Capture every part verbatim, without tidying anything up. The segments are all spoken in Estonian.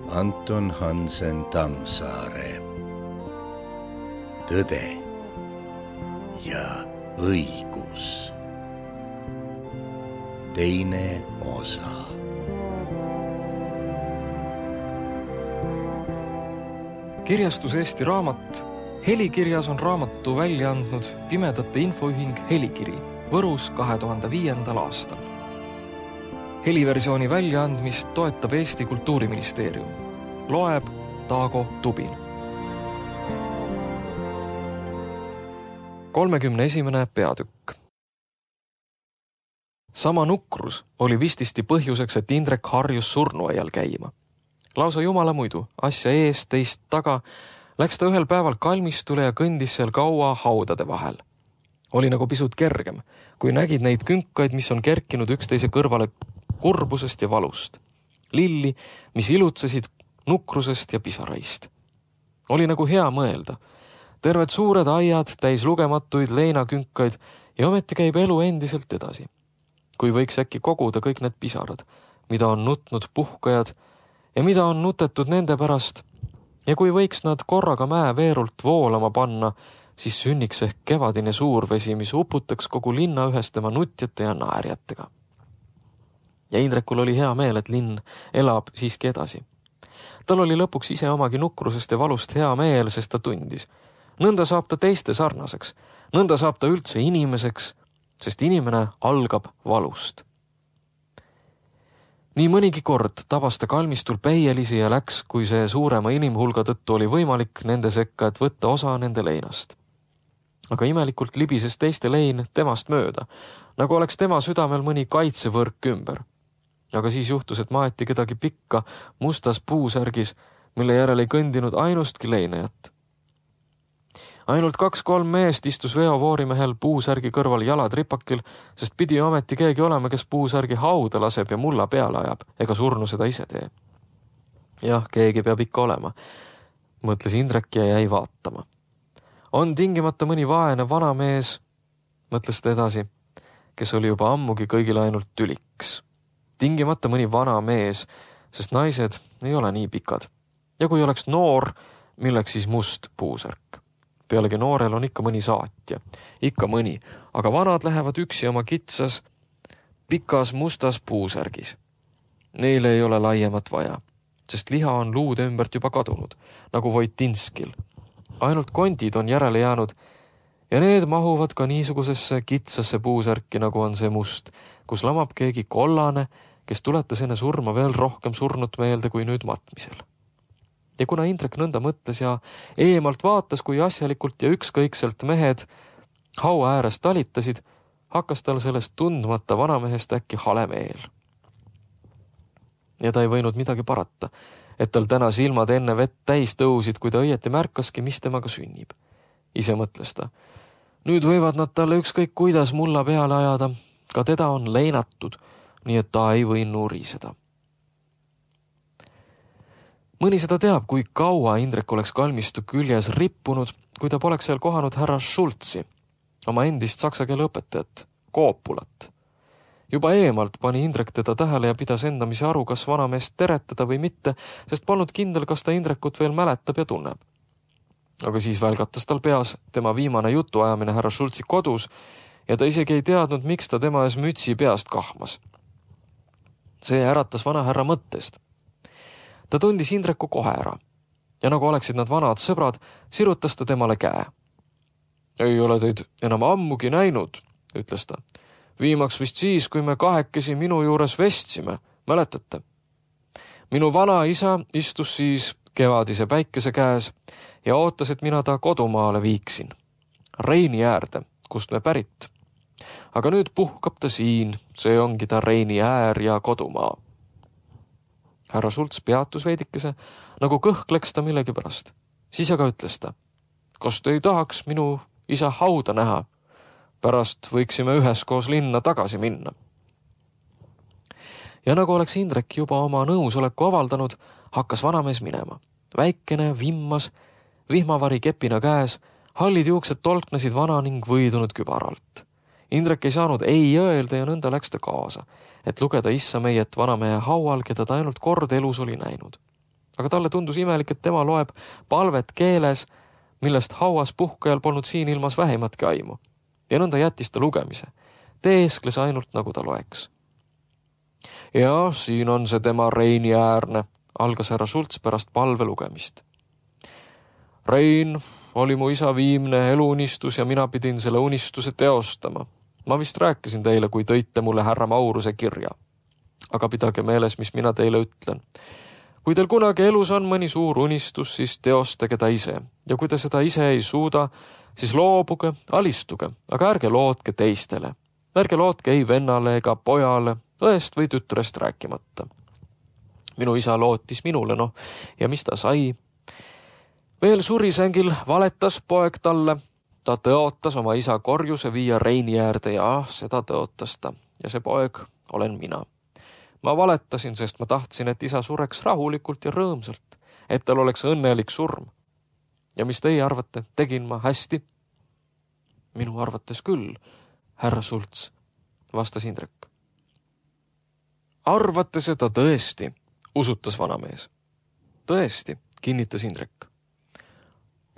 Anton Hansen Tammsaare. Tõde ja õigus. Teine osa. Kirjastus Eesti Raamat Helikirjas on raamatu välja andnud Pimedate Infoühing Helikiri Võrus kahe tuhande viiendal aastal. Heliversiooni väljaandmist toetab Eesti Kultuuriministeerium. Loeb Taago Tubin. kolmekümne esimene peatükk. Sama nukrus oli vististi põhjuseks, et Indrek harjus surnuaial käima. Lausa jumala muidu, asja eest, teist taga, läks ta ühel päeval kalmistule ja kõndis seal kaua haudade vahel. Oli nagu pisut kergem, kui nägid neid künkaid, mis on kerkinud üksteise kõrvale kurbusest ja valust. Lilli, mis ilutsesid nukrusest ja pisaraist. Oli nagu hea mõelda. Terved suured aiad, täis lugematuid leinakünkaid ja ometi käib elu endiselt edasi. Kui võiks äkki koguda kõik need pisarad, mida on nutnud puhkajad ja mida on nutetud nende pärast, ja kui võiks nad korraga mäe veerult voolama panna, siis sünniks ehk kevadine suurvesi, mis uputaks kogu linna ühes tema nutjate ja naerjatega. Ja Indrekul oli hea meel, et linn elab siiski edasi. Tal oli lõpuks ise omagi nukrusest ja valust hea meel, sest ta tundis. Nõnda saab ta teiste sarnaseks, nõnda saab ta üldse inimeseks, sest inimene algab valust. Nii mõnigi kord tabas ta kalmistul peielisi ja läks, kui see suurema inimhulga tõttu oli võimalik nende sekka, et võtta osa nende leinast. Aga imelikult libises teiste lein temast mööda, nagu oleks tema südamel mõni kaitsevõrk ümber. Aga siis juhtus, et maeti kedagi pikka mustas puusärgis, mille järel ei kõndinud ainustki leinajat. Ainult kaks-kolm meest istus veovoorimehel puusärgi kõrval jalad ripakil, sest pidi ometi keegi olema, kes puusärgi hauda laseb ja mulla peale ajab, ega surnu seda ise tee. Jah, keegi peab ikka olema, mõtles Indrek ja jäi vaatama. On tingimata mõni vaene vanamees, mõtles ta edasi, kes oli juba ammugi kõigile ainult tüliks. Tingimata mõni vana mees, sest naised ei ole nii pikad. Ja kui oleks noor, milleks siis must puusärk. Pealegi noorel on ikka mõni saatja, ikka mõni, aga vanad lähevad üksi oma kitsas, pikas mustas puusärgis. Neile ei ole laiemat vaja, sest liha on luude ümbert juba kadunud, nagu Voitinskil. Ainult kondid on järele jäänud ja need mahuvad ka niisugusesse kitsasse puusärki, nagu on see must, kus lamab keegi kollane, kes tuletas enne surma veel rohkem surnut meelde kui nüüd matmisel. Ja kuna Indrek nõnda mõtles ja eemalt vaatas, kui asjalikult ja ükskõikselt mehed haua ääres talitasid, hakkas tal sellest tundmata vanamehest äkki hale meel. Ja ta ei võinud midagi parata, et tal täna silmad enne vett täis tõusid, kui ta õieti märkaski, mis temaga sünnib. Ise mõtles ta. Nüüd võivad nad talle ükskõik kuidas mulla peale ajada, ka teda on leinatud, nii et ta ei või nuriseda. Mõni seda teab, kui kaua Indrek oleks kalmistu küljes rippunud, kui ta poleks seal kohanud härra Schultzi, oma endist saksa keele õpetajat, Koopulat. Juba eemalt pani Indrek teda tähele ja pidas endamisi aru, kas vanameest teretada või mitte, sest polnud kindel, kas ta Indrekut veel mäletab ja tunneb. Aga siis välgatas tal peas tema viimane jutuajamine härra Schultzi kodus ja ta isegi ei teadnud, miks ta tema ees mütsi peast kahmas. See äratas vana härra mõttest. Ta tundis Indreku kohe ära ja nagu oleksid nad vanad sõbrad, sirutas ta temale käe. Ei ole teid enam ammugi näinud, ütles ta. Viimaks vist siis, kui me kahekesi minu juures vestsime, mäletate? Minu vana isa istus siis kevadise päikese käes ja ootas, et mina ta kodumaale viiksin. Reini äärde, kust me pärit. Aga nüüd puhkab ta siin, see ongi ta Reini äär ja kodumaa. Härra Schultz peatus veidikese, nagu kõhkleks ta millegi pärast. Siis aga ütles ta, kas te ei tahaks minu isa hauda näha? Pärast võiksime üheskoos linna tagasi minna. Ja nagu oleks Indrek juba oma nõusoleku avaldanud, hakkas vanamees minema. Väikene, vimmas, vihmavari kepina käes, hallid juuksed tolknesid vana ning võidunud kübaralt. Indrek ei saanud ei öelda ja nõnda läks ta kaasa, et lugeda issa meiet vanamehe haual, keda ta ainult kord elus oli näinud. aga talle tundus imelik, et tema loeb palvet keeles, millest hauas puhkajal polnud siin ilmas vähimatki aimu. Ja nõnda jättis ta lugemise. Teeskles ainult, nagu ta loeks. Ja siin on see tema Reini äärne, algas härra Sults pärast palve lugemist. Rein oli mu isa viimne eluunistus ja mina pidin selle unistuse teostama. Ma vist rääkisin teile, kui tõite mulle härra Mauruse kirja. Aga pidage meeles, mis mina teile ütlen. Kui teil kunagi elus on mõni suur unistus, siis teostage ta ise. Ja kui te seda ise ei suuda, siis loobuge, alistuge, aga ärge lootke teistele. Ärge lootke ei vennale ega pojale, õest või tütrest rääkimata. Minu isa lootis minule, noh, ja mis ta sai? Veel surisängil valetas poeg talle. Ta tõotas oma isa korjuse viia Reini äärde ja seda tõotas ta. Ja see poeg olen mina. Ma valetasin, sest ma tahtsin, et isa sureks rahulikult ja rõõmsalt, et tal oleks õnnelik surm. Ja mis teie arvate, tegin ma hästi? Minu arvates küll, härra Sults, vastas Indrek. Arvate seda tõesti, usutas vanamees. Tõesti, kinnitas Indrek.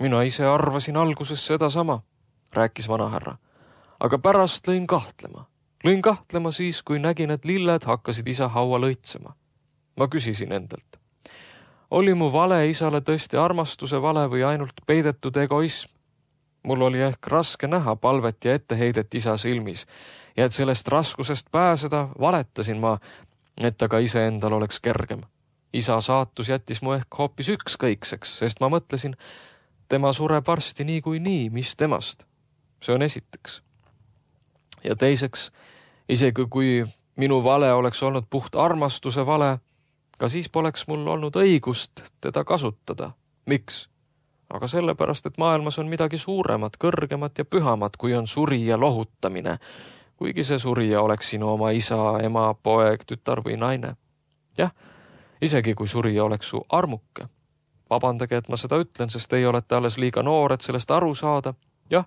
Mina ise arvasin alguses seda sama, rääkis vanahärra, aga pärast lõin kahtlema. Lõin kahtlema siis, kui nägin, et lilled hakkasid isa haua lõitsema. Ma küsisin endalt. Oli mu vale isale tõesti armastuse vale või ainult peidetud egoism? Mul oli ehk raske näha palvet ja etteheidet isa silmis ja et sellest raskusest pääseda valetasin ma, et aga iseendal oleks kergem. Isa saatus jättis mu ehk hoopis ükskõikseks, sest ma mõtlesin, tema sureb varsti nii kui nii, mis temast. See on esiteks. Ja teiseks, isegi kui minu vale oleks olnud puht armastuse vale, ka siis poleks mul olnud õigust teda kasutada. Miks? Aga sellepärast, et maailmas on midagi suuremat, kõrgemat ja pühamat, kui on surija lohutamine, kuigi see surija oleks sinu oma isa, ema, poeg, tütar või naine. Jah, isegi kui surija oleks su armuke. Vabandage, et ma seda ütlen, sest teie olete alles liiga noor, et sellest aru saada. Jah,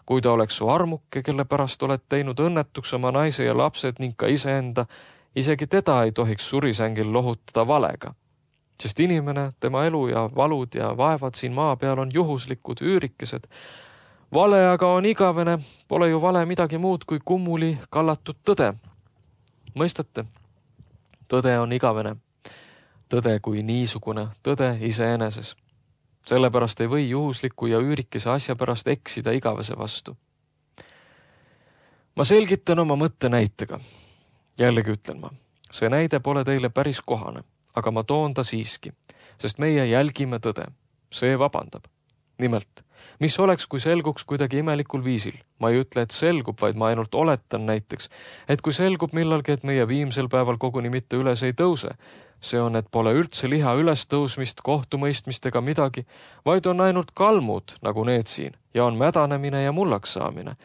kui ta oleks su armuke, kelle pärast oled teinud õnnetuks oma naise ja lapsed ning ka iseenda, isegi teda ei tohiks surisängil lohutada valega. Sest inimene, tema elu ja valud ja vaevad siin maa peal on juhuslikud üürikesed. Vale aga on igavene, pole ju vale midagi muud kui kummuli kallatud tõde. Mõistate? Tõde on igavene. Tõde kui niisugune, tõde iseeneses. Sellepärast ei või juhusliku ja üürikese asja pärast eksida igavese vastu. Ma selgitan oma mõtte näitega. Jällegi ütlen ma, see näide pole teile päris kohane, aga ma toon ta siiski, sest meie jälgime tõde. See vabandab. Nimelt, mis oleks, kui selguks kuidagi imelikul viisil? Ma ei ütle, et selgub, vaid ma ainult oletan näiteks, et kui selgub millalgi, et meie viimsel päeval koguni mitte üles ei tõuse, see on, et pole üldse liha ülestõusmist, kohtumõistmist ega midagi, vaid on ainult kalmud, nagu need siin, ja on mädanemine ja mullaks saamine.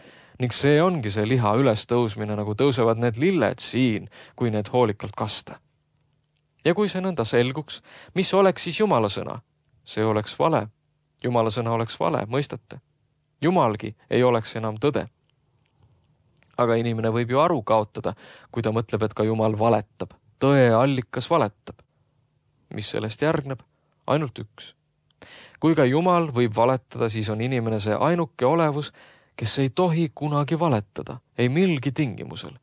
Ning see ongi see liha ülestõusmine, nagu tõusevad need lilled siin, kui need hoolikalt kasta. Ja kui see nõnda selguks, mis oleks siis Jumala sõna? See oleks vale. Jumala sõna oleks vale, mõistate? Jumalgi ei oleks enam tõde. Aga inimene võib ju aru kaotada, kui ta mõtleb, et ka Jumal valetab. Tõe allikas valetab. Mis sellest järgneb? Ainult üks. Kui ka Jumal võib valetada, siis on inimene see ainuke olevus, kes ei tohi kunagi valetada, ei milgi tingimusel,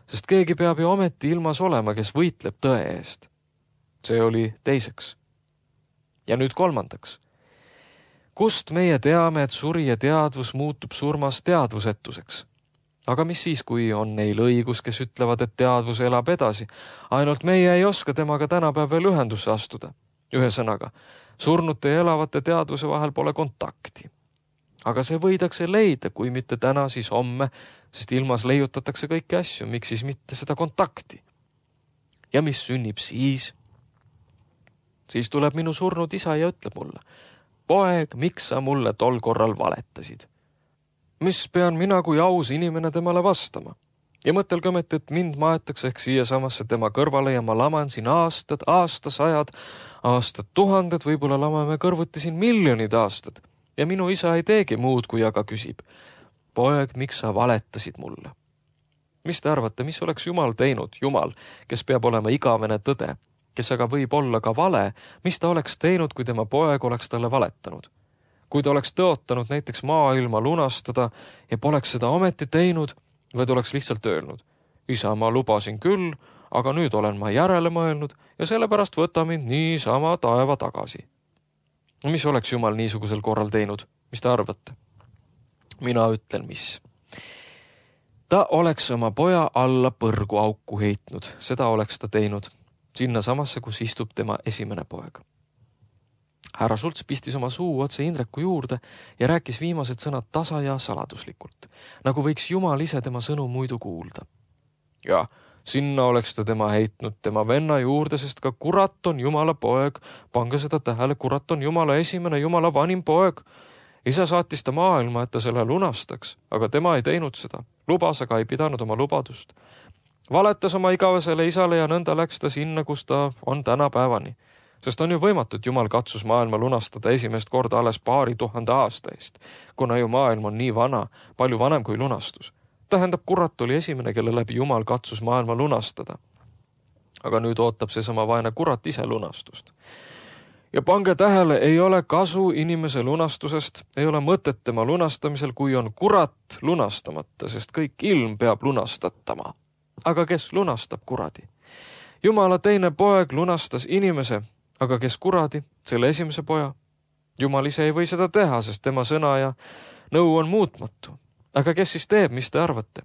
sest keegi peab ju ometi ilmas olema, kes võitleb tõe eest. See oli teiseks. Ja nüüd kolmandaks. Kust meie teame, et surija teadvus muutub surmas teadvusetuseks? Aga mis siis, kui on neil õigus, kes ütlevad, et teadvus elab edasi? Ainult meie ei oska temaga tänapäev veel ühendusse astuda. Ühesõnaga, surnute ja elavate teadvuse vahel pole kontakti. Aga see võidakse leida, kui mitte täna, siis homme, sest ilmas leiutatakse kõiki asju, miks siis mitte seda kontakti. Ja mis sünnib siis? Siis tuleb minu surnud isa ja ütleb mulle, poeg, miks sa mulle tol korral valetasid? Mis pean mina kui aus inimene temale vastama? Ja mõtelge ometi, et mind maetakse ehk siia samasse tema kõrvale ja ma laman siin aastad, aastasajad, aastad tuhanded, võib-olla lamame kõrvuti siin miljonid aastad. Ja minu isa ei teegi muud, kui aga küsib, poeg, miks sa valetasid mulle? Mis te arvate, mis oleks Jumal teinud? Jumal, kes peab olema igavene tõde, kes aga võib olla ka vale, mis ta oleks teinud, kui tema poeg oleks talle valetanud. Kui ta oleks tõotanud näiteks maailma lunastada ja poleks seda ometi teinud, või ta oleks lihtsalt öelnud, isa, ma lubasin küll, aga nüüd olen ma järele mõelnud ja sellepärast võta mind niisama taeva tagasi. Mis oleks Jumal niisugusel korral teinud? Mis te arvate? Mina ütlen, mis. Ta oleks oma poja alla põrgu auku heitnud, seda oleks ta teinud, sinna samasse, kus istub tema esimene poeg. Härra Schultz pistis oma suu otse Indreku juurde ja rääkis viimased sõnad tasa ja saladuslikult, nagu võiks Jumal ise tema sõnu muidu kuulda. Ja sinna oleks ta tema heitnud tema venna juurde, sest ka kurat on Jumala poeg, pange seda tähele, kurat on Jumala esimene, Jumala vanim poeg. Isa saatis ta maailma, et ta selle lunastaks, aga tema ei teinud seda. Lubas, aga ei pidanud oma lubadust. Valetas oma igavesele isale ja nõnda läks ta sinna, kus ta on tänapäevani. Sest on ju võimatu, et Jumal katsus maailma lunastada esimest korda alles paari tuhande aasta eest, kuna ju maailm on nii vana, palju vanem kui lunastus. Tähendab, kurat oli esimene, kelle läbi Jumal katsus maailma lunastada. Aga nüüd ootab see sama vaene kurat ise lunastust. Ja pange tähele, ei ole kasu inimese lunastusest, ei ole mõtet tema lunastamisel, kui on kurat lunastamata, sest kõik ilm peab lunastatama. Aga kes lunastab kuradi? Jumala teine poeg lunastas inimese, aga kes kuradi, selle esimese poja? Jumal ise ei või seda teha, sest tema sõna ja nõu on muutmatu. Aga kes siis teeb, mis te arvate?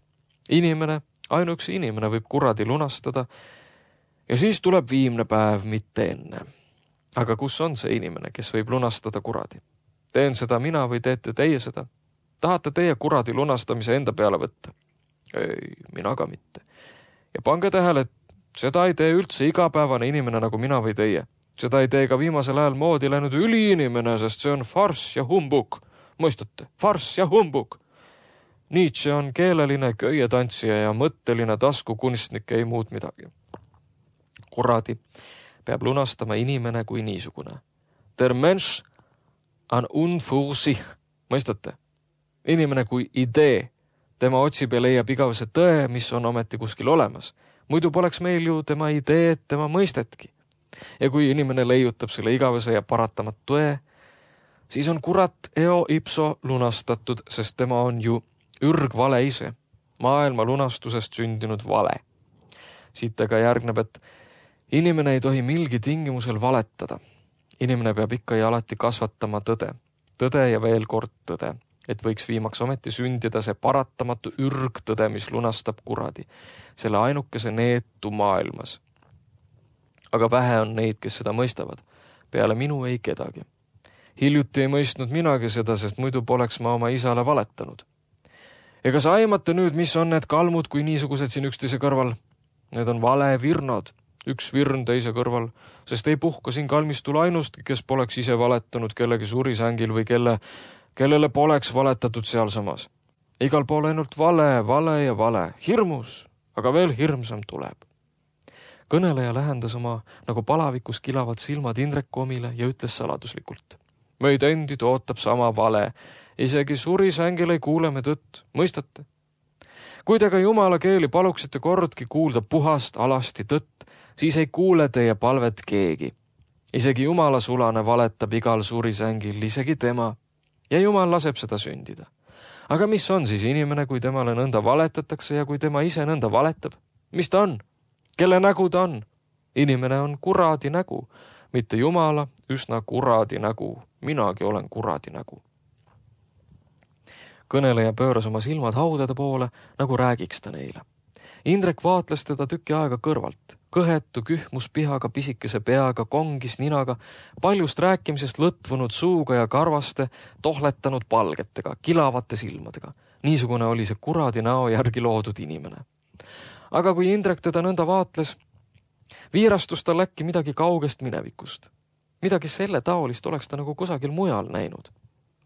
Inimene, ainuüksi inimene võib kuradi lunastada ja siis tuleb viimne päev, mitte enne. Aga kus on see inimene, kes võib lunastada kuradi? Teen seda mina või teete teie seda? Tahate teie kuradi lunastamise enda peale võtta? Ei, mina ka mitte. Ja pange tähele, et seda ei tee üldse igapäevane inimene nagu mina või teie. Seda ei tee ka viimasel ajal moodi läinud üliinimene, sest see on farss ja humbug. Mõistate? Farss ja humbug. Nietzsche on keeleline köietantsija ja mõtteline taskukunstnik, ei muud midagi. Kuradi peab lunastama inimene kui niisugune. Der Mensch an un für sich. Mõistate? Inimene kui idee. Tema otsib ja leiab igavese tõe, mis on ometi kuskil olemas. Muidu poleks meil ju tema ideed, tema mõistetki. Ja kui inimene leiutab selle igavese ja paratamat tõe, siis on kurat eo ipso lunastatud, sest tema on ju ürgvale ise, maailma lunastusest sündinud vale. Siit aga järgneb, et inimene ei tohi milgi tingimusel valetada. Inimene peab ikka ja alati kasvatama tõde. Tõde ja veel kord tõde, et võiks viimaks ometi sündida see paratamatu ürgtõde, mis lunastab kuradi, selle ainukese neetu maailmas. Aga vähe on neid, kes seda mõistavad. Peale minu ei kedagi. Hiljuti ei mõistnud minagi seda, sest muidu poleks ma oma isale valetanud. Ega sa aimate nüüd, mis on need kalmud, kui niisugused siin üksteise kõrval? Need on vale virnad, üks virn teise kõrval, sest ei puhka siin kalmistul ainustki, kes poleks ise valetanud kellegi surisängil või kelle, kellele poleks valetatud sealsamas. Igal pool ainult vale, vale ja vale, hirmus, aga veel hirmsam tuleb. Kõneleja lähendas oma nagu palavikus kilavad silmad Indreku omile ja ütles saladuslikult. Meid endid ootab sama vale, isegi surisängil ei kuule me tõtt, mõistate? Kui te ka Jumala keeli paluksite kordki kuulda puhast alasti tõtt, siis ei kuule teie palvet keegi. Isegi Jumala sulane valetab igal surisängil, isegi tema, ja Jumal laseb seda sündida. Aga mis on siis inimene, kui temale nõnda valetatakse ja kui tema ise nõnda valetab? Mis ta on? Kelle nägu ta on? Inimene on kuradi nägu, mitte Jumala üsna kuradi nägu. Minagi olen kuradi nägu. Kõneleja pööras oma silmad haudade poole, nagu räägiks ta neile. Indrek vaatles teda tüki aega kõrvalt. Kõhetu kühmus pihaga pisikese peaga, kongis ninaga, paljust rääkimisest lõtvunud suuga ja karvaste, tohletanud palgetega, kilavate silmadega. Niisugune oli see kuradi näo järgi loodud inimene. Aga kui Indrek teda nõnda vaatles, viirastus tal äkki midagi kaugest minevikust. Midagi selle taolist oleks ta nagu kusagil mujal näinud.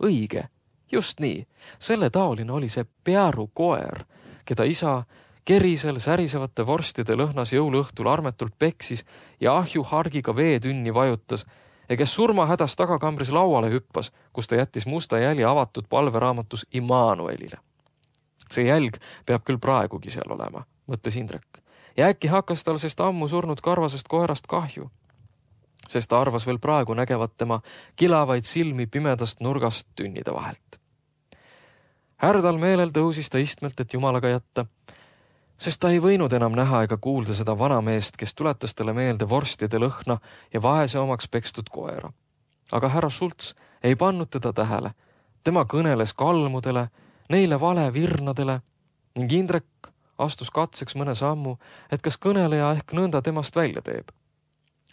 Õige, just nii. Selle taoline oli see pearu koer, keda isa kerisel särisevate vorstide lõhnas jõuluõhtul armetult peksis ja ahju hargiga veetünni vajutas ja kes surmahädas tagakambris lauale hüppas, kus ta jättis musta jälje avatud palveraamatus Immanuelile. See jälg peab küll praegugi seal olema, mõtles Indrek. Ja äkki hakkas tal sest ammu surnud karvasest koerast kahju. sest ta arvas veel praegu nägevat tema kilavaid silmi pimedast nurgast tünnide vahelt. Härdal meelel tõusis ta istmelt, et jumalaga jätta, sest ta ei võinud enam näha ega kuulda seda vanameest, kes tuletas talle meelde vorstide lõhna ja vaese omaks pekstud koera. Aga härra Schultz ei pannud teda tähele. Tema kõneles kalmudele, neile vale virnadele ning Indrek astus katseks mõne sammu, et kas kõneleja ehk nõnda temast välja teeb.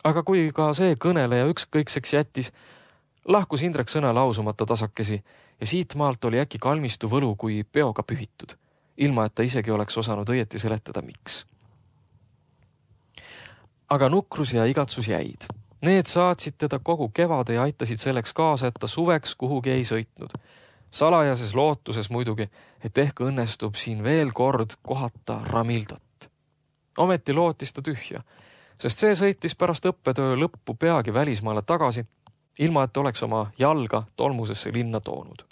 Aga kui ka see kõneleja ükskõikseks jättis, lahkus Indrek sõna lausumata tasakesi ja siit maalt oli äkki kalmistu võlu kui peoga pühitud, ilma et ta isegi oleks osanud õieti seletada, miks. Aga nukrus ja igatsus jäid. Need saatsid teda kogu kevade ja aitasid selleks kaasa, et ta suveks kuhugi ei sõitnud. Salajases lootuses muidugi, et ehk õnnestub siin veel kord kohata Ramildat. Ometi lootis ta tühja, sest see sõitis pärast õppetöö lõppu peagi välismaale tagasi, ilma et oleks oma jalga tolmusesse linna toonud.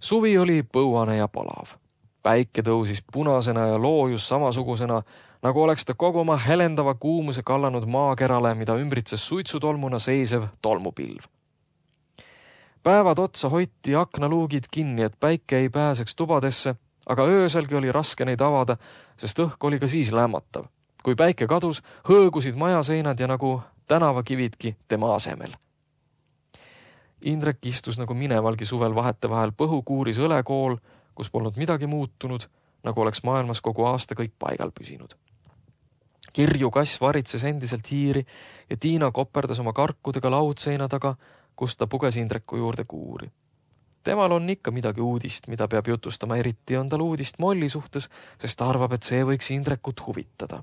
Suvi oli põuane ja palav. Päike tõusis punasena ja loojus samasugusena, nagu oleks ta kogu oma helendava kuumuse kallanud maakerale, mida ümbritses suitsutolmuna seisev tolmupilv. Päevad otsa hoiti aknaluugid kinni, et päike ei pääseks tubadesse, aga ööselgi oli raske neid avada, sest õhk oli ka siis lämmatav. Kui päike kadus, hõõgusid majaseinad ja nagu tänavakividki tema asemel. Indrek istus nagu minevalgi suvel vahetevahel põhukuuris õlekool, kus polnud midagi muutunud, nagu oleks maailmas kogu aasta kõik paigal püsinud. Kirju kass varitses endiselt hiiri ja Tiina koperdas oma karkudega laudseina taga, kus ta puges Indreku juurde kuuri. Temal on ikka midagi uudist, mida peab jutustama, eriti on tal uudist Molli suhtes, sest ta arvab, et see võiks Indrekut huvitada.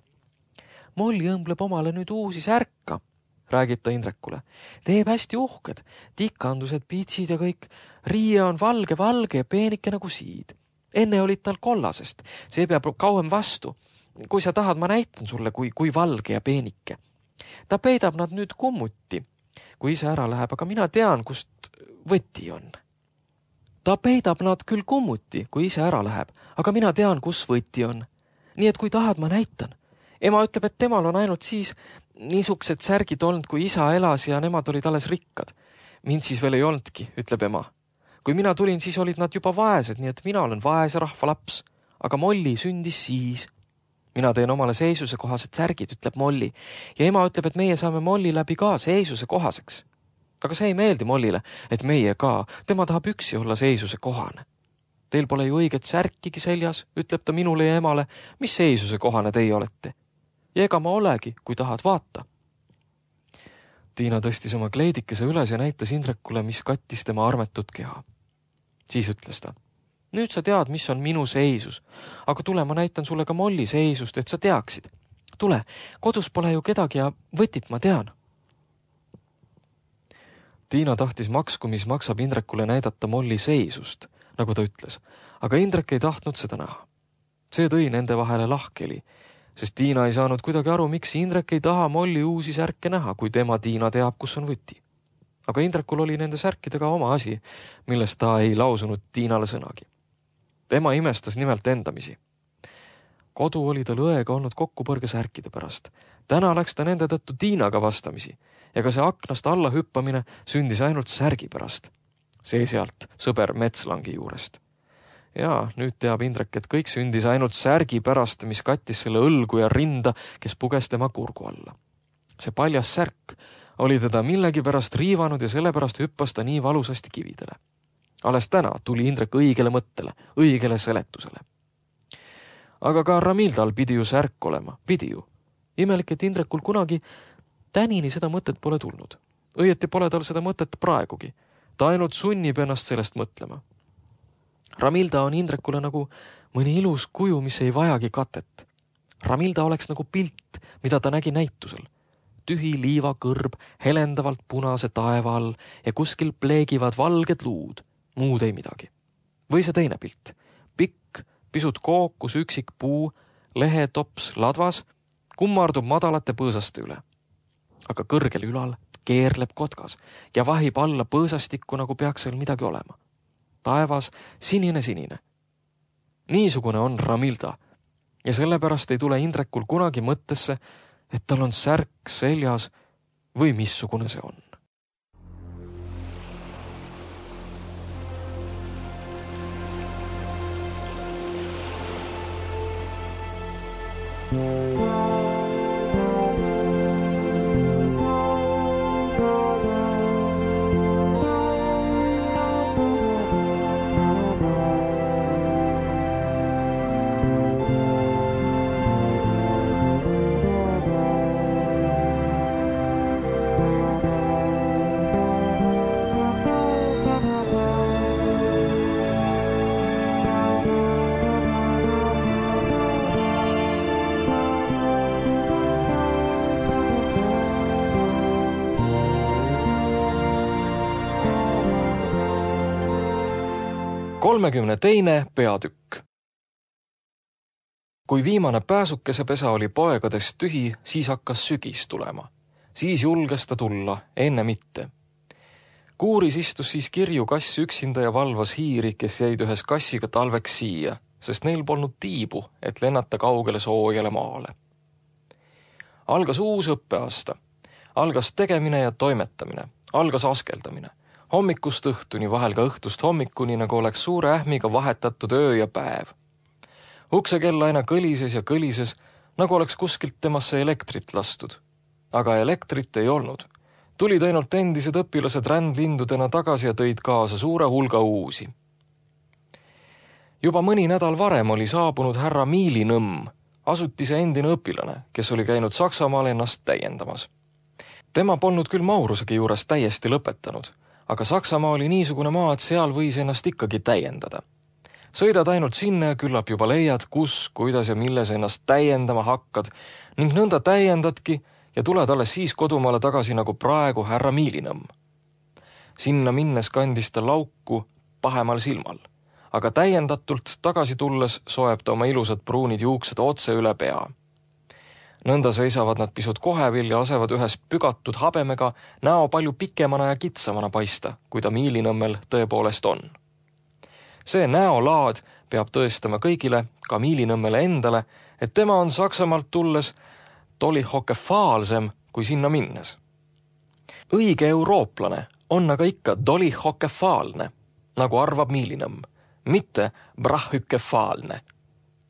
Molli õmbleb omale nüüd uusi särka, räägib ta Indrekule. Teeb hästi uhked, tikandused, piitsid ja kõik. Riie on valge, valge ja peenike nagu siid. Enne olid tal kollasest, see peab kauem vastu. Kui sa tahad, ma näitan sulle, kui, kui valge ja peenike. Ta peidab nad nüüd kummuti, kui ise ära läheb, aga mina tean, kust võti on. Ta peidab nad küll kummuti, kui ise ära läheb, aga mina tean, kus võti on. Nii et kui tahad, ma näitan. Ema ütleb, et temal on ainult siis niisugused särgid olnud, kui isa elas ja nemad olid alles rikkad. Mind siis veel ei olnudki, ütleb ema. Kui mina tulin, siis olid nad juba vaesed, nii et mina olen vaese rahva laps. Aga Molli sündis siis. Mina teen omale seisuse kohased särgid, ütleb Molli. Ja ema ütleb, et meie saame Molli läbi ka seisuse kohaseks. Aga see ei meeldi Mollile, et meie ka. Tema tahab üksi olla seisuse kohane. Teil pole ju õiget särkigi seljas, ütleb ta minule ja emale. Mis seisuse kohane teie olete? Ja ega ma olegi, kui tahad vaata. Tiina tõstis oma kleidikese üles ja näitas Indrekule, mis kattis tema armetut keha. Siis ütles ta, nüüd sa tead, mis on minu seisus, aga tule, ma näitan sulle ka Molli seisust, et sa teaksid. Tule, kodus pole ju kedagi ja võtit ma tean. Tiina tahtis maksku, mis maksab Indrekule näidata Molli seisust, nagu ta ütles, aga Indrek ei tahtnud seda näha. See tõi nende vahele lahkeli, sest Tiina ei saanud kuidagi aru, miks Indrek ei taha Molli uusi särke näha, kui tema Tiina teab, kus on võti. Aga Indrekul oli nende särkidega oma asi, millest ta ei lausunud Tiinale sõnagi. Tema imestas nimelt endamisi. Kodu oli tal õega olnud kokkupõrge särkide pärast. Täna läks ta nende tõttu Tiinaga vastamisi ja ka see aknast alla hüppamine sündis ainult särgi pärast. See sealt sõber Metslangi juurest. Ja nüüd teab Indrek, et kõik sündis ainult särgi pärast, mis kattis selle õlgu ja rinda, kes puges tema kurgu alla. See paljas särk oli teda millegi pärast riivanud ja sellepärast hüppas ta nii valusasti kividele. Alles täna tuli Indrek õigele mõttele, õigele seletusele. Aga ka Ramildal pidi ju särk olema, pidi ju. Imelik, et Indrekul kunagi tänini seda mõtet pole tulnud. Õieti pole tal seda mõtet praegugi. Ta ainult sunnib ennast sellest mõtlema. Ramilda on Indrekule nagu mõni ilus kuju, mis ei vajagi katet. Ramilda oleks nagu pilt, mida ta nägi näitusel. Tühi liivakõrb helendavalt punase taeva all ja kuskil pleegivad valged luud, muud ei midagi. Või see teine pilt. Pikk, pisut kookus üksik puu, lehetops ladvas, kummardub madalate põõsaste üle. Aga kõrgel ülal keerleb kotkas ja vahib alla põõsastikku, nagu peaks seal midagi olema. Taevas sinine-sinine. Niisugune on Ramilda ja sellepärast ei tule Indrekul kunagi mõttesse, et tal on särk seljas või missugune see on. kolmekümne teine peatükk. Kui viimane pääsukesepesa oli poegadest tühi, siis hakkas sügis tulema. Siis julges ta tulla, enne mitte. Kuuris istus siis kirju kass üksinda ja valvas hiiri, kes jäid ühes kassiga talveks siia, sest neil polnud tiibu, et lennata kaugele soojale maale. Algas uus õppeaasta. Algas tegemine ja toimetamine. Algas askeldamine. Hommikust õhtuni, vahel ka õhtust hommikuni, nagu oleks suure ähmiga vahetatud öö ja päev. Uksekell aina kõlises ja kõlises, nagu oleks kuskilt temasse elektrit lastud. Aga elektrit ei olnud. Tulid ainult endised õpilased rändlindudena tagasi ja tõid kaasa suure hulga uusi. Juba mõni nädal varem oli saabunud härra Miilinõmm, asutise endine õpilane, kes oli käinud Saksamaal ennast täiendamas. Tema polnud küll Maurusegi juures täiesti lõpetanud, aga Saksamaa oli niisugune maa, et seal võis ennast ikkagi täiendada. Sõidad ainult sinna ja küllap juba leiad, kus, kuidas ja milles ennast täiendama hakkad ning nõnda täiendadki ja tuled alles siis kodumaale tagasi nagu praegu härra Miilinõmm. Sinna minnes kandis ta lauku pahemal silmal, aga täiendatult tagasi tulles soeb ta oma ilusad pruunid juuksed otse üle pea. Nõnda seisavad nad pisut kohevil ja lasevad ühes pügatud habemega näo palju pikemana ja kitsamana paista, kui ta Miilinõmmel tõepoolest on. See näolaad peab tõestama kõigile, ka Miilinõmmele endale, et tema on Saksamaalt tulles dolihokefaalsem kui sinna minnes. Õige eurooplane on aga ikka dolihokefaalne, nagu arvab Miilinõmm, mitte brahhükefaalne.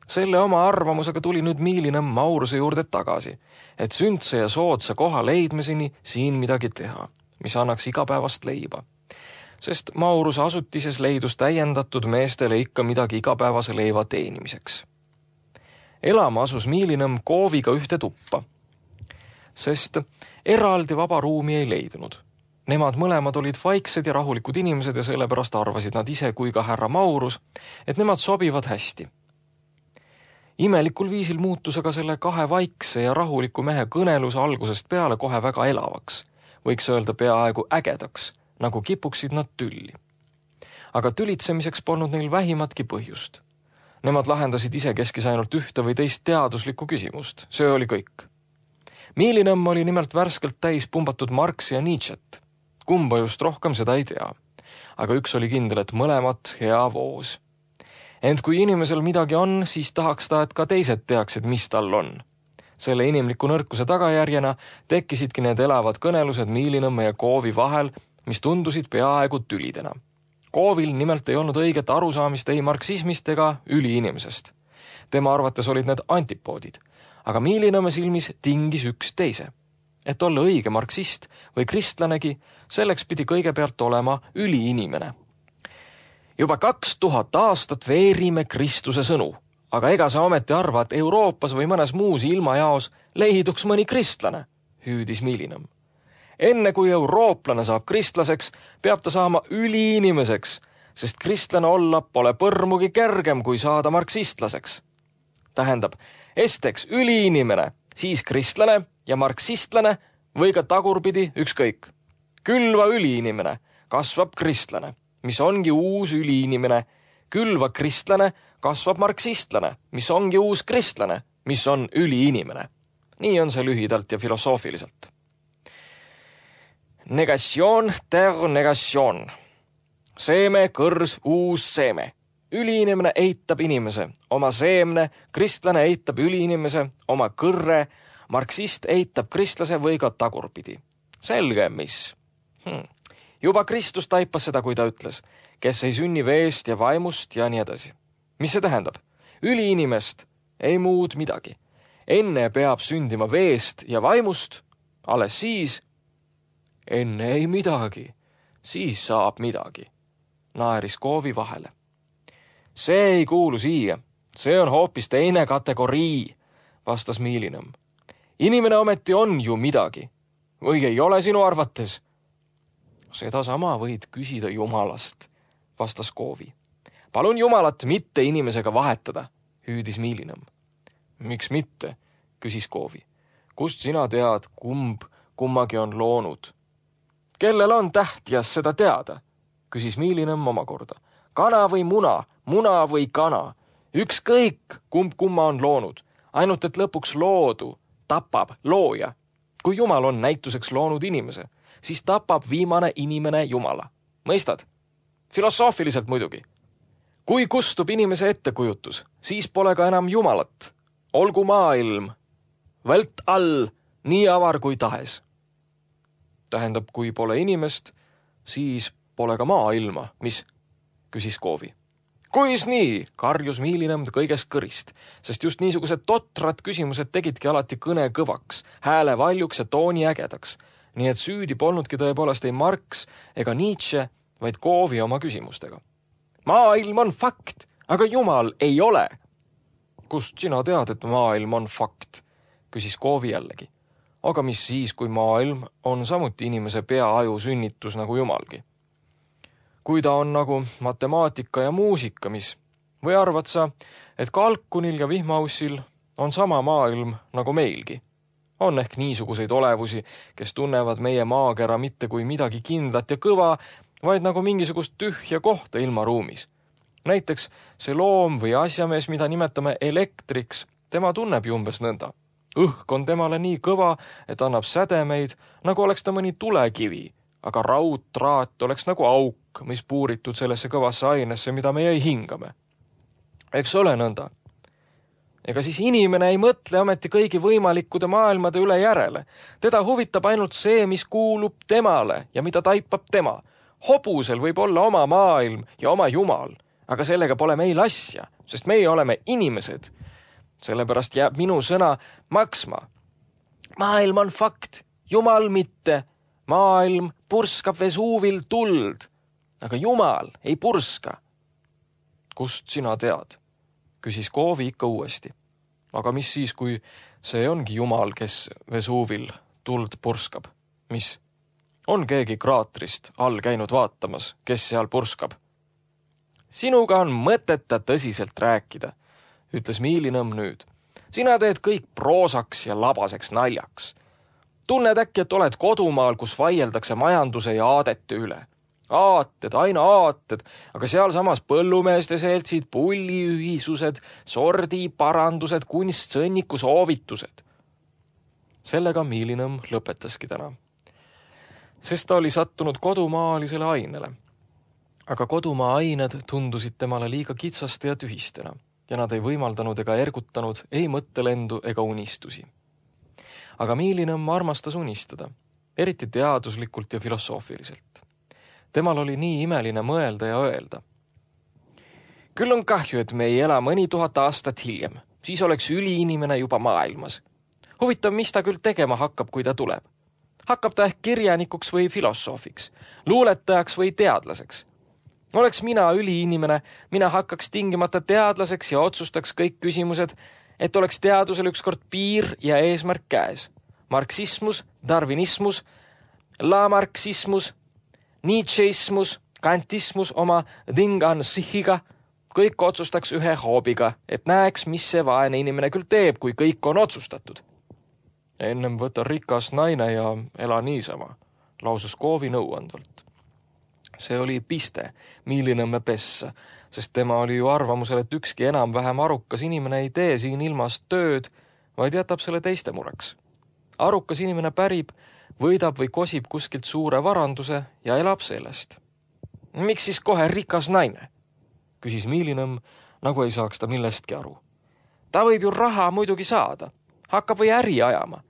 Selle oma arvamusega tuli nüüd Miilinõmm Mauruse juurde tagasi, et sündse ja soodsa koha leidmiseni siin midagi teha, mis annaks igapäevast leiba. Sest Mauruse asutises leidus täiendatud meestele ikka midagi igapäevase leiva teenimiseks. Elama asus Miilinõmm kooviga ühte tuppa, sest eraldi vaba ruumi ei leidunud. Nemad mõlemad olid vaiksed ja rahulikud inimesed ja sellepärast arvasid nad ise kui ka härra Maurus, et nemad sobivad hästi. Imelikul viisil muutus aga selle kahe vaikse ja rahuliku mehe kõnelus algusest peale kohe väga elavaks, võiks öelda peaaegu ägedaks, nagu kipuksid nad tülli. Aga tülitsemiseks polnud neil vähimatki põhjust. Nemad lahendasid isekeskis ainult ühte või teist teaduslikku küsimust, see oli kõik. Miilinõmm oli nimelt värskelt täis pumbatud Marxi ja Nietzschet. Kumba just rohkem, seda ei tea. Aga üks oli kindel, et mõlemat hea voos. Ent kui inimesel midagi on, siis tahaks ta, et ka teised teaksid, mis tal on. Selle inimliku nõrkuse tagajärjena tekkisidki need elavad kõnelused Miilinõmme ja Koovi vahel, mis tundusid peaaegu tülidena. Koovil nimelt ei olnud õiget arusaamist ei marksismist ega üliinimesest. Tema arvates olid need antipoodid, aga Miilinõmme silmis tingis üks teise. Et olla õige marksist või kristlanegi, selleks pidi kõigepealt olema üliinimene. Juba kaks tuhat aastat veerime Kristuse sõnu, aga ega sa ometi arva, et Euroopas või mõnes muus ilmajaos leiduks mõni kristlane, hüüdis Miilinõmm. Enne kui eurooplane saab kristlaseks, peab ta saama üliinimeseks, sest kristlane olla pole põrmugi kergem kui saada marksistlaseks. Tähendab, esteks üliinimene, siis kristlane ja marksistlane või ka tagurpidi ükskõik. Külva üliinimene, kasvab kristlane, mis ongi uus üliinimene. Külva kristlane, kasvab marksistlane, mis ongi uus kristlane, mis on üliinimene. Nii on see lühidalt ja filosoofiliselt. Negatsioon ter negatsioon. Seeme, kõrs, uus seeme. Üliinimene eitab inimese, oma seemne, kristlane eitab üliinimese, oma kõrre, marksist eitab kristlase või ka tagurpidi. Selge, mis? Hmm. Juba Kristus taipas seda, kui ta ütles, kes ei sünni veest ja vaimust ja nii edasi. Mis see tähendab? Üli inimest, ei muud midagi. Enne peab sündima veest ja vaimust, alles siis, enne ei midagi, siis saab midagi, naeris Koovi vahele. See ei kuulu siia, see on hoopis teine kategorii, vastas Miilinõmm. Inimene ometi on ju midagi, või ei ole sinu arvates? Seda sama võid küsida Jumalast, vastas Koovi. Palun Jumalat mitte inimesega vahetada, hüüdis Miilinõmm. Miks mitte, küsis Koovi. Kust sina tead, kumb kummagi on loonud? Kellel on tähtjas seda teada, küsis Miilinõmm omakorda. Kana või muna, muna või kana. Ükskõik, kumb kumma on loonud, ainult et lõpuks loodu tapab looja. Kui Jumal on näituseks loonud inimese, siis tapab viimane inimene Jumala. Mõistad? Filosoofiliselt muidugi. Kui kustub inimese ettekujutus, siis pole ka enam Jumalat. Olgu maailm, vält all, nii avar kui tahes. Tähendab, kui pole inimest, siis pole ka maailma, mis, küsis Koovi. Kuis nii, karjus Miilinõmm kõigest kõrist, sest just niisugused totrad küsimused tegidki alati kõne kõvaks, hääle valjuks ja tooni ägedaks. Nii et süüdi polnudki tõepoolest ei Marx ega Nietzsche, vaid Koovi oma küsimustega. Maailm on fakt, aga Jumal ei ole. Kust sina tead, et maailm on fakt, küsis Koovi jällegi. Aga mis siis, kui maailm on samuti inimese peaaju sünnitus nagu Jumalgi? Kui ta on nagu matemaatika ja muusika, mis või arvad sa, et kalkunil ja vihmaussil on sama maailm nagu meilgi? On ehk niisuguseid olevusi, kes tunnevad meie maakera mitte kui midagi kindlat ja kõva, vaid nagu mingisugust tühja kohta ilmaruumis. Näiteks see loom või asjamees, mida nimetame elektriks, tema tunneb ju umbes nõnda. Õhk on temale nii kõva, et annab sädemeid, nagu oleks ta mõni tulekivi, aga raudtraat oleks nagu auk, mis puuritud sellesse kõvasse ainesse, mida meie ei hingame. Eks ole nõnda. Ega siis inimene ei mõtle ometi kõigi võimalikkude maailmade üle järele. Teda huvitab ainult see, mis kuulub temale ja mida taipab tema. Hobusel võib olla oma maailm ja oma Jumal, aga sellega pole meil asja, sest meie oleme inimesed. Sellepärast jääb minu sõna maksma. Maailm on fakt, Jumal mitte. Maailm purskab Vesuuvil tuld, aga Jumal ei purska. Kust sina tead? Küsis Koovi ikka uuesti. Aga mis siis, kui see ongi Jumal, kes Vesuuvil tuld purskab? Mis? On keegi kraatrist all käinud vaatamas, kes seal purskab? Sinuga on mõteta tõsiselt rääkida, ütles Miilinõmm nüüd. Sina teed kõik proosaks ja labaseks naljaks. Tunned äkki, et oled kodumaal, kus vaieldakse majanduse ja aadete üle. Aated, aina aated, aga seal samas põllumeeste seltsid, pulliühisused, sordi, parandused, kunstsõnniku soovitused. Sellega Miilinõmm lõpetaski täna. Sest ta oli sattunud kodumaalisele ainele. Aga kodumaa ained tundusid temale liiga kitsaste ja tühistena ja nad ei võimaldanud ega ergutanud ei mõttelendu ega unistusi. Aga Miilinõmm armastas unistada, eriti teaduslikult ja filosoofiliselt. Temal oli nii imeline mõelda ja öelda. Küll on kahju, et me ei ela mõni tuhat aastat hiljem, siis oleks üliinimene juba maailmas. Huvitav, mis ta küll tegema hakkab, kui ta tuleb. Hakkab ta ehk kirjanikuks või filosoofiks, luuletajaks või teadlaseks. Oleks mina üliinimene, mina hakkaks tingimata teadlaseks ja otsustaks kõik küsimused, et oleks teadusel ükskord piir ja eesmärk käes. Marksismus, darwinismus, lamarksismus, Nietzscheismus, kantismus oma dingan sihiga, kõik otsustaks ühe hoobiga, et näeks, mis see vaene inimene küll teeb, kui kõik on otsustatud. Ennem võta rikas naine ja ela niisama, lausus Koovi nõuandvalt. See oli piste Miilinõmme pessa, sest tema oli ju arvamusel, et ükski enam-vähem arukas inimene ei tee siin ilmas tööd, vaid jätab selle teiste mureks. Arukas inimene pärib, võidab või kosib kuskilt suure varanduse ja elab sellest. Miks siis kohe rikas naine? Küsis Miilinõmm, nagu ei saaks ta millestki aru. Ta võib ju raha muidugi saada, hakkab või äri ajama.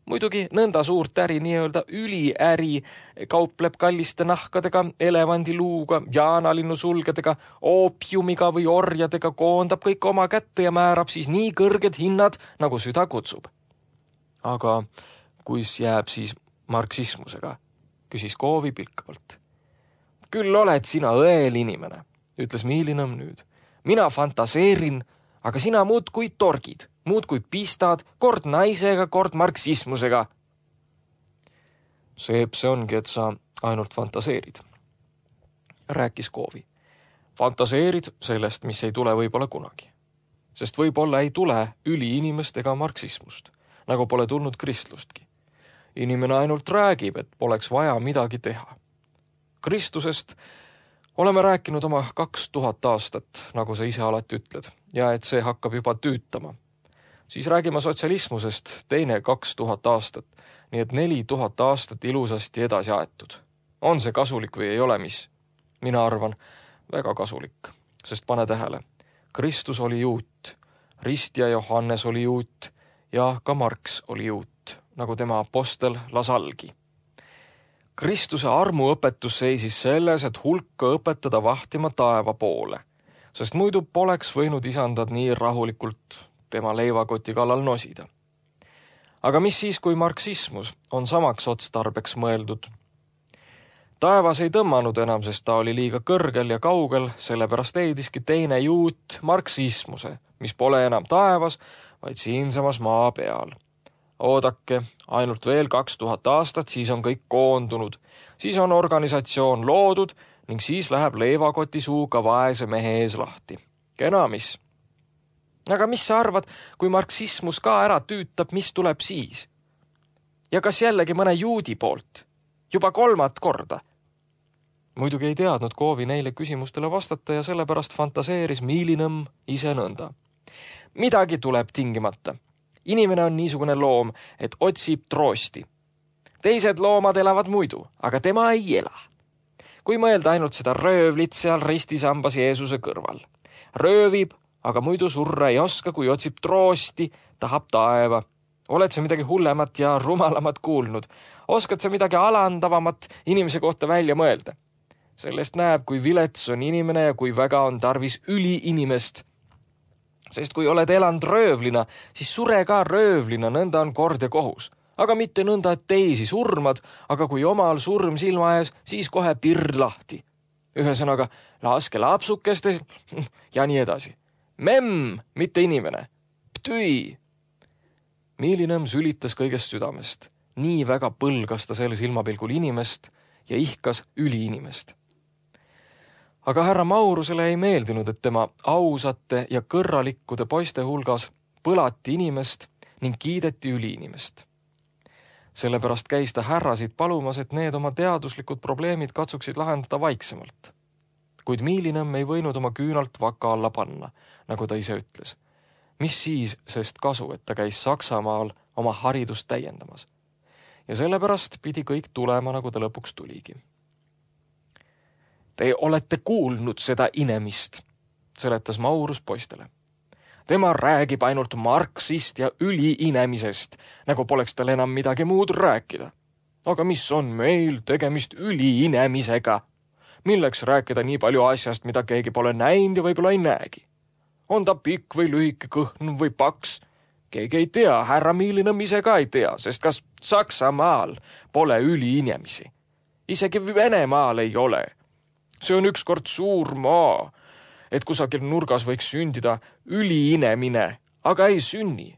Muidugi nõnda suurt äri, nii-öelda üliäri, kaupleb kalliste nahkadega, elevandiluuga, jaanalinnu sulgedega, oopiumiga või orjadega, koondab kõik oma kätte ja määrab siis nii kõrged hinnad, nagu süda kutsub. Aga kuis jääb siis marksismusega, küsis Koovi pilkavalt. Küll oled sina õel inimene, ütles Miilinõmm nüüd. Mina fantaseerin, aga sina muudkui torgid. Muudkui pistad, kord naisega, kord marksismusega. Seep see ongi, et sa ainult fantaseerid, rääkis Koovi. Fantaseerid sellest, mis ei tule võib-olla kunagi. Sest võib-olla ei tule üliinimest ega marksismust, nagu pole tulnud kristlustki. Inimene ainult räägib, et poleks vaja midagi teha. Kristlusest oleme rääkinud oma kaks tuhat aastat, nagu sa ise alati ütled, ja et see hakkab juba tüütama. Siis räägime sotsialismusest teine kaks tuhat aastat, nii et neli tuhat aastat ilusasti edasi aetud. On see kasulik või ei ole, mis? Mina arvan, väga kasulik, sest pane tähele. Kristus oli juut, Rist ja Johannes oli juut ja ka Marx oli juut, nagu tema apostel Lasalgi. Kristuse armuõpetus seisis selles, et hulka õpetada vahtima taeva poole, sest muidu poleks võinud isandad nii rahulikult tema leivakoti kallal nosida. Aga mis siis, kui marksismus on samaks otstarbeks mõeldud? Taevas ei tõmmanud enam, sest ta oli liiga kõrgel ja kaugel, sellepärast leidiski teine juut marksismuse, mis pole enam taevas, vaid siinsamas maa peal. Oodake, ainult veel kaks tuhat aastat, siis on kõik koondunud, siis on organisatsioon loodud ning siis läheb leivakoti suuga vaese mehe ees lahti. Kena mis? Aga mis sa arvad, kui marksismus ka ära tüütab, mis tuleb siis? Ja kas jällegi mõne juudi poolt? Juba kolmat korda? Muidugi ei teadnud Koovi neile küsimustele vastata ja sellepärast fantaseeris Miilinõmm ise nõnda. Midagi tuleb tingimata. Inimene on niisugune loom, et otsib troosti. Teised loomad elavad muidu, aga tema ei ela. Kui mõelda ainult seda röövlit seal ristisambas Jeesuse kõrval. Röövib, aga muidu surra ei oska, kui otsib troosti, tahab taeva. Oled sa midagi hullemat ja rumalamat kuulnud? Oskad sa midagi alandavamat inimese kohta välja mõelda? Sellest näeb, kui vilets on inimene ja kui väga on tarvis üliinimest. Sest kui oled elanud röövlina, siis sure ka röövlina, nõnda on kord ja kohus. Aga mitte nõnda, et teisi surmad, aga kui omal surm silma ees, siis kohe pird lahti. Ühesõnaga, laske lapsukeste ja nii edasi. Memm, mitte inimene. Ptüi. Miilinõmm sülitas kõigest südamest. Nii väga põlgas ta selle silmapilgul inimest ja ihkas üliinimest. Aga härra Maurusele ei meeldinud, et tema ausate ja kõrralikkude poiste hulgas põlati inimest ning kiideti üliinimest. Sellepärast käis ta härrasid palumas, et need oma teaduslikud probleemid katsuksid lahendada vaiksemalt. Kuid Miilinõmm ei võinud oma küünalt vaka alla panna, nagu ta ise ütles. Mis siis sest kasu, et ta käis Saksamaal oma haridust täiendamas. Ja sellepärast pidi kõik tulema, nagu ta lõpuks tuligi. Te olete kuulnud seda inemist, seletas Maurus poistele. Tema räägib ainult Marxist ja üliinemisest, nagu poleks tal enam midagi muud rääkida. Aga mis on meil tegemist üliinemisega? Milleks rääkida nii palju asjast, mida keegi pole näinud ja võib-olla ei näegi? On ta pikk või lühike, kõhn või paks? Keegi ei tea, härra Miilinõmm ise ka ei tea, sest kas Saksamaal pole üliinemisi? Isegi Venemaal ei ole. See on ükskord suur maa, et kusagil nurgas võiks sündida üliinemine, aga ei sünni.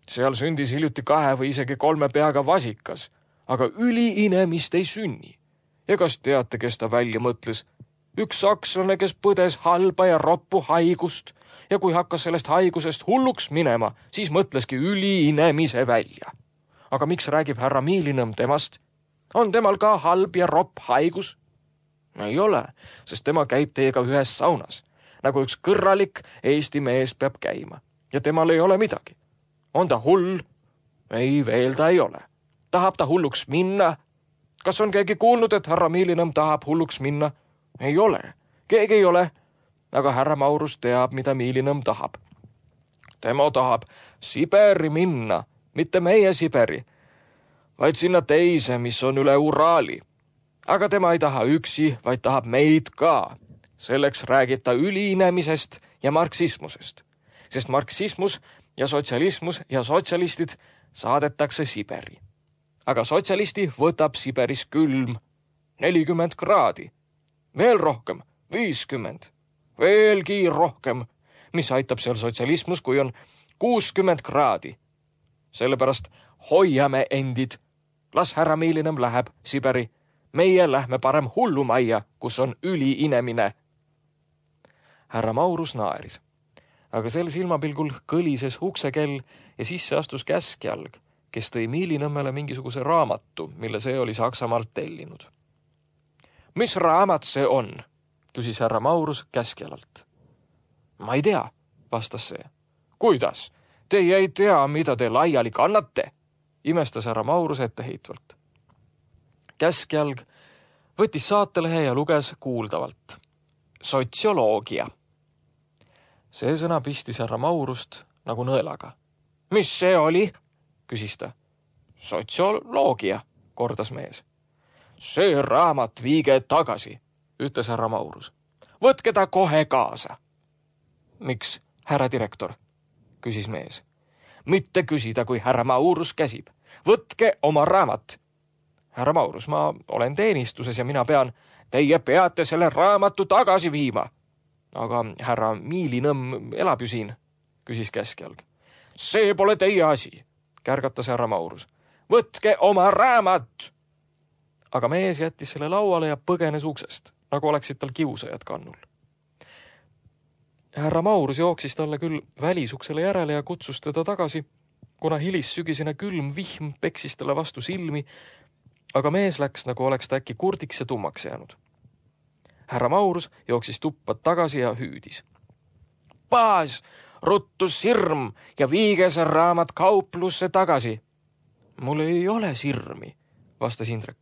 Seal sündis hiljuti kahe või isegi kolme peaga vasikas, aga üliinemist ei sünni. Ja kas teate, kes ta välja mõtles? Üks sakslane, kes põdes halba ja roppu haigust ja kui hakkas sellest haigusest hulluks minema, siis mõtleski üliinemise välja. Aga miks räägib härra Miilinõmm temast? On temal ka halb ja ropp haigus? Ei ole, sest tema käib teiega ühes saunas, nagu üks kõrralik Eesti mees peab käima ja temal ei ole midagi. On ta hull? Ei, veel ta ei ole. Tahab ta hulluks minna? Kas on keegi kuulnud, et härra Miilinõmm tahab hulluks minna? Ei ole. Keegi ei ole. Aga härra Maurus teab, mida Miilinõmm tahab. Tema tahab Siberi minna, mitte meie Siberi, vaid sinna teise, mis on üle Uraali. Aga tema ei taha üksi, vaid tahab meid ka. Selleks räägib ta üliinemisest ja marksismusest, sest marksismus ja sotsialismus ja sotsialistid saadetakse Siberi. Aga sotsialisti võtab Siberis külm, nelikümmend kraadi, veel rohkem, viiskümmend, veelgi rohkem, mis aitab seal sotsialismus, kui on kuuskümmend kraadi. Sellepärast hoiame endid, las härra Miilinem läheb Siberi, meie lähme parem hullumajja, kus on üliinemine. Härra Maurus naeris, aga sel silmapilgul kõlises uksekell ja sisse astus käskjalg, kes tõi Miilinõmmele mingisuguse raamatu, mille see oli Saksamaalt tellinud. Mis raamat see on? Küsis härra Maurus käskjalalt. Ma ei tea, vastas see. Kuidas? Teie ei tea, mida te laiali kannate? Imestas härra Maurus etteheitvalt. Käskjalg võttis saatelehe ja luges kuuldavalt. Sotsioloogia. See sõna pistis härra Maurust nagu nõelaga. Mis see oli? Küsis ta. Sotsioloogia, kordas mees. See raamat viige tagasi, ütles härra Maurus. Võtke ta kohe kaasa. Miks, härra direktor? Küsis mees. Mitte küsida, kui härra Maurus käsib. Võtke oma raamat. Härra Maurus, ma olen teenistuses ja mina pean, teie peate selle raamatu tagasi viima. Aga härra Miilinõmm elab ju siin, küsis käskjalg. See pole teie asi, kärgatas härra Maurus. Võtke oma raamat! Aga mees jättis selle lauale ja põgenes uksest, nagu oleksid tal kiusajad kannul. Härra Maurus jooksis talle küll välisuksele järele ja kutsus teda tagasi, kuna hilissügisene külm vihm peksis talle vastu silmi, aga mees läks, nagu oleks ta äkki kurdiks ja tummaks jäänud. Härra Maurus jooksis tuppa tagasi ja hüüdis. Paas, ruttu sirm ja viige see raamat kauplusse tagasi. Mul ei ole sirmi, vastas Indrek.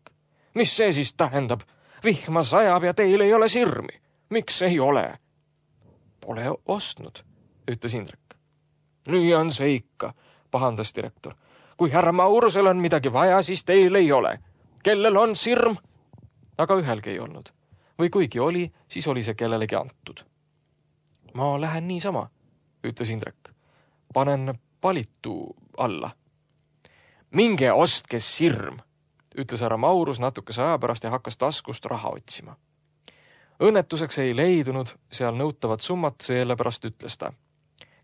Mis see siis tähendab? Vihma sajab ja teil ei ole sirmi. Miks ei ole? Pole ostnud, ütles Indrek. Nii on see ikka, pahandas direktor. Kui härra Maurusel on midagi vaja, siis teil ei ole. Kellel on sirm? Aga ühelgi ei olnud. Või kuigi oli, siis oli see kellelegi antud. Ma lähen niisama, ütles Indrek. Panen palitu alla. Minge ostke sirm, ütles härra Maurus natukese aja pärast ja hakkas taskust raha otsima. Õnnetuseks ei leidunud seal nõutavat summat, sellepärast ütles ta.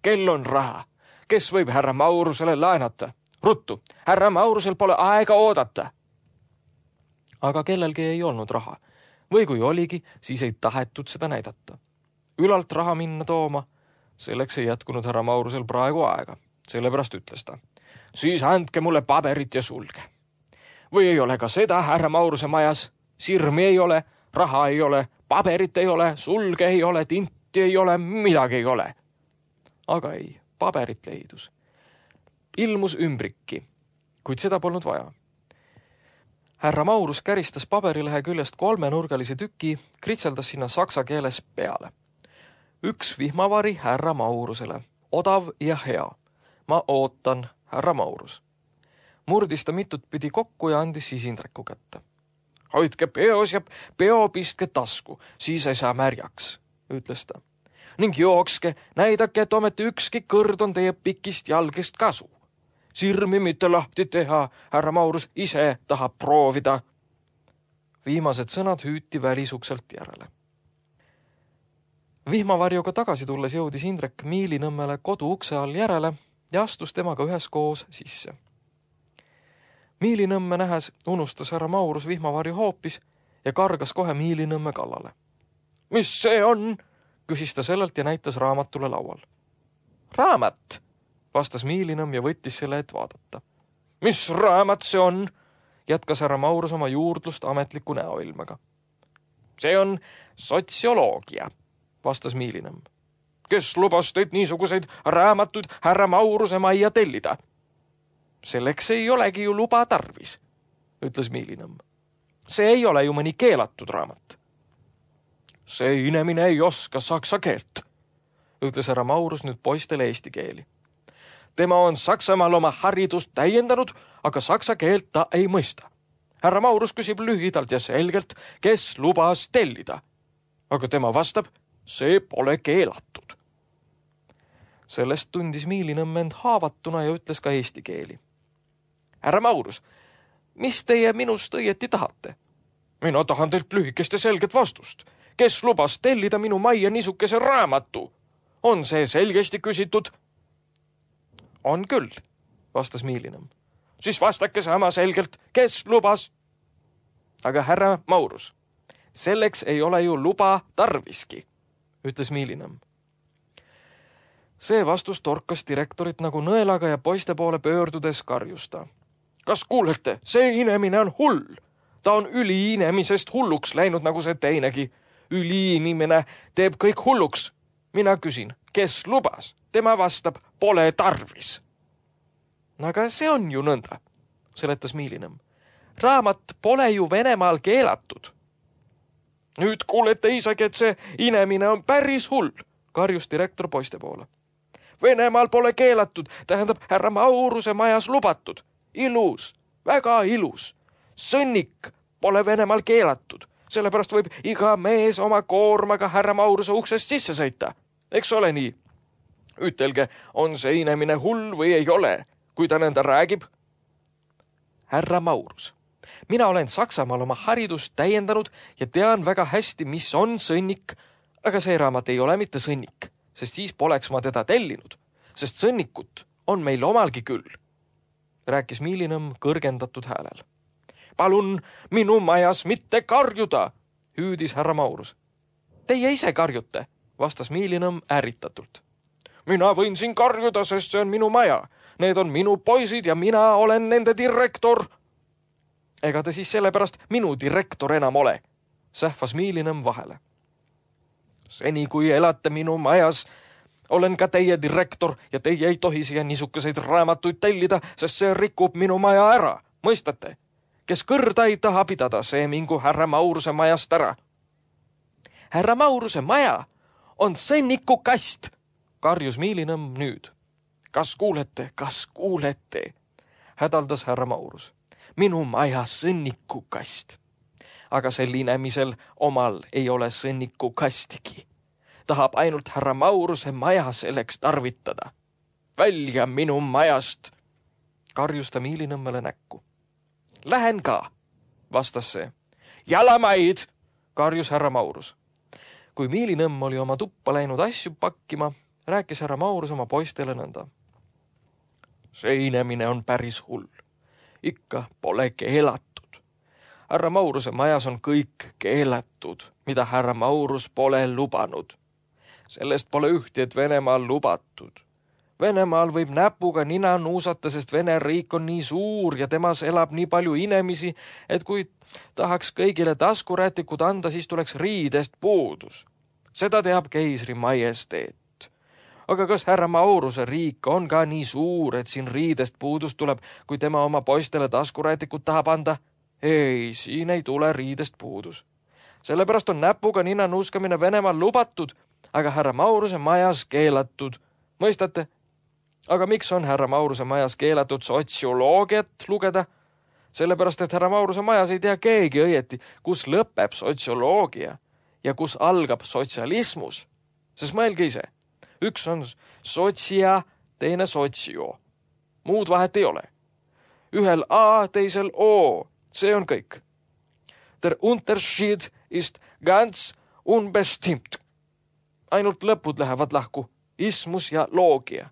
Kell on raha. Kes võib härra Maurusele laenata? Ruttu, härra Maurusel pole aega oodata. Aga kellelgi ei olnud raha. Või kui oligi, siis ei tahetud seda näidata. Ülalt raha minna tooma, selleks ei jätkunud härra Maurusel praegu aega. Sellepärast ütles ta. Siis andke mulle paberit ja sulge. Või ei ole ka seda härra Mauruse majas? Sirmi ei ole, raha ei ole, paberit ei ole, sulge ei ole, tinti ei ole, midagi ei ole. Aga ei, paberit leidus. Ilmus ümbrikki, kuid seda polnud vaja. Härra Maurus käristas paberilehe küljest kolmenurgalise tüki, kritseldas sinna saksa keeles peale. Üks vihmavari härra Maurusele, odav ja hea. Ma ootan, härra Maurus. Murdis ta mitut pidi kokku ja andis siis Indreku kätte. Hoidke peos ja peo pistke tasku, siis ei saa märjaks, ütles ta. Ning jookske, näidake, et ometi ükski kõrd on teie pikist jalgist kasu. Sirmi mitte lahti teha, härra Maurus ise tahab proovida. Viimased sõnad hüüti välisukselt järele. Vihmavarjuga tagasi tulles jõudis Indrek Miilinõmmele kodu ukse all järele ja astus temaga üheskoos sisse. Miilinõmme nähes unustas härra Maurus vihmavarju hoopis ja kargas kohe Miilinõmme kallale. Mis see on? Küsis ta sellelt ja näitas raamatule laual. Raamat, vastas Miilinõmm ja võttis selle, et vaadata. Mis raamat see on? Jätkas härra Maurus oma juurdlust ametliku näoilmega. See on sotsioloogia, vastas Miilinõmm. Kes lubas teid niisuguseid raamatuid härra Mauruse majja tellida? Selleks ei olegi ju luba tarvis, ütles Miilinõmm. See ei ole ju mõni keelatud raamat. See inemine ei oska saksa keelt, ütles härra Maurus nüüd poistele eesti keeli. Tema on Saksamaal oma haridust täiendanud, aga saksa keelt ta ei mõista. Härra Maurus küsib lühidalt ja selgelt, kes lubas tellida. Aga tema vastab, see pole keelatud. Sellest tundis Miilinõmm end haavatuna ja ütles ka eesti keeli. Härra Maurus, mis teie minust õieti tahate? Mina tahan teilt lühikest ja selget vastust. Kes lubas tellida minu majja niisukese raamatu? On see selgesti küsitud? On küll, vastas Miilinõmm. Siis vastake sama selgelt, kes lubas? Aga härra Maurus, selleks ei ole ju luba tarviski, ütles Miilinõmm. See vastus torkas direktorit nagu nõelaga ja poiste poole pöördudes karjusta. Kas kuulete, see inemine on hull. Ta on üliinemisest hulluks läinud nagu see teinegi. Üliinimene teeb kõik hulluks. Mina küsin, kes lubas? Tema vastab, pole tarvis. Aga see on ju nõnda, seletas Miilinõmm. Raamat pole ju Venemaal keelatud. Nüüd kuulete isegi, et see inemine on päris hull, karjus direktor poiste poole. Venemaal pole keelatud, tähendab härra Mauruse majas lubatud. Ilus, väga ilus. Sõnnik pole Venemaal keelatud, sellepärast võib iga mees oma koormaga härra Mauruse uksest sisse sõita. Eks ole nii? Ütelge, on see inemine hull või ei ole, kui ta nõnda räägib? Härra Maurus, mina olen Saksamaal oma haridust täiendanud ja tean väga hästi, mis on sõnnik, aga see raamat ei ole mitte sõnnik, sest siis poleks ma teda tellinud, sest sõnnikut on meil omalgi küll, rääkis Miilinõmm kõrgendatud häälel. Palun minu majas mitte karjuda, hüüdis härra Maurus. Teie ise karjute, vastas Miilinõmm ärritatult. Mina võin siin karjuda, sest see on minu maja. Need on minu poisid ja mina olen nende direktor. Ega te siis sellepärast minu direktor enam ole, sähvas Miilinõmm vahele. Seni kui elate minu majas, olen ka teie direktor ja teie ei tohi siia niisukeseid raamatuid tellida, sest see rikub minu maja ära. Mõistate? Kes kõrda ei taha pidada, see mingu härra Mauruse majast ära. Härra Mauruse maja on sõnniku kast, karjus Miilinõmm nüüd. Kas kuulete, kas kuulete, hädaldas härra Maurus. Minu maja sõnniku kast. Aga sel inemisel omal ei ole sõnniku kastigi. Tahab ainult härra Mauruse maja selleks tarvitada. Välja minu majast, karjus ta Miilinõmmele näkku. Lähen ka, vastas see. Jalamaid, karjus härra Maurus. Kui Miilinõmm oli oma tuppa läinud asju pakkima, rääkis härra Maurus oma poistele nõnda. See inemine on päris hull. Ikka pole keelatud. Härra Mauruse majas on kõik keelatud, mida härra Maurus pole lubanud. Sellest pole ühti, et Venemaal lubatud. Venemaal võib näpuga nina nuusata, sest Vene riik on nii suur ja temas elab nii palju inemisi, et kui tahaks kõigile taskurätikud anda, siis tuleks riidest puudus. Seda teab keisri majesteet. Aga kas härra Mauruse riik on ka nii suur, et siin riidest puudus tuleb, kui tema oma poistele taskurätikud tahab anda? Ei, siin ei tule riidest puudus. Sellepärast on näpuga nina nuuskamine Venemaal lubatud, aga härra Mauruse majas keelatud. Mõistate? Aga miks on härra Mauruse majas keelatud sotsioloogiat lugeda? Sellepärast, et härra Mauruse majas ei tea keegi õieti, kus lõpeb sotsioloogia ja kus algab sotsialismus. Sest mõelge ise, üks on sotsia, teine sotsio. Muud vahet ei ole. Ühel A, teisel O. See on kõik. Der Unterschied ist ganz unbestimmt. Ainult lõpud lähevad lahku. Ismus ja loogia.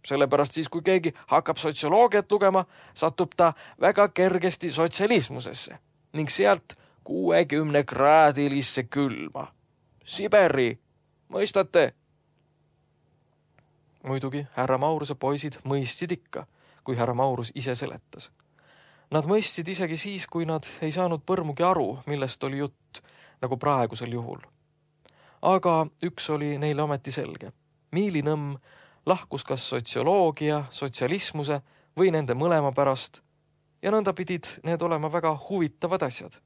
Sellepärast siis, kui keegi hakkab sotsioloogiat lugema, satub ta väga kergesti sotsialismusesse ning sealt kuuekümne kraadilisse külma. Siberi, mõistate? Muidugi härra Mauruse poisid mõistsid ikka, kui härra Maurus ise seletas. Nad mõistsid isegi siis, kui nad ei saanud põrmugi aru, millest oli jutt, nagu praegusel juhul. Aga üks oli neile ometi selge. Miilinõmm lahkus kas sotsioloogia, sotsialismuse või nende mõlema pärast ja nõnda pidid need olema väga huvitavad asjad.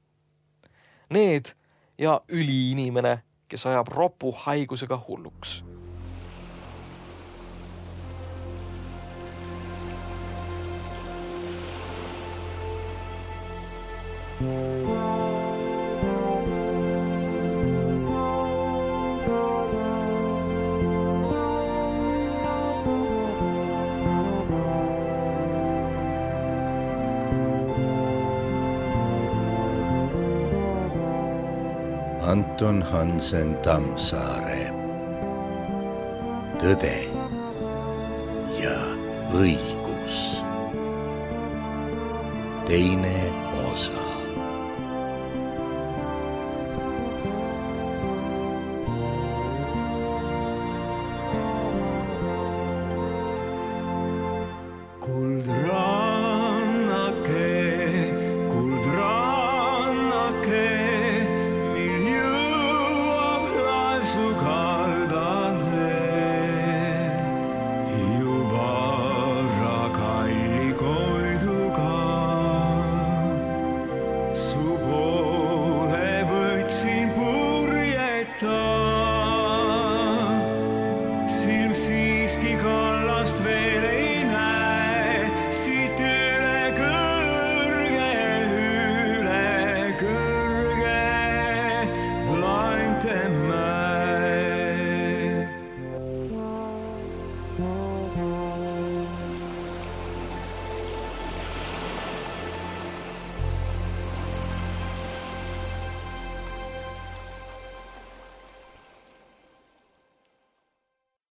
Need ja üliinimene, kes ajab ropu haigusega hulluks. Anton Hansen Tammsaare. Tõde ja õigus. Teine osa. Kuldrannake, kuldrannake, mil jõuab laev su ka.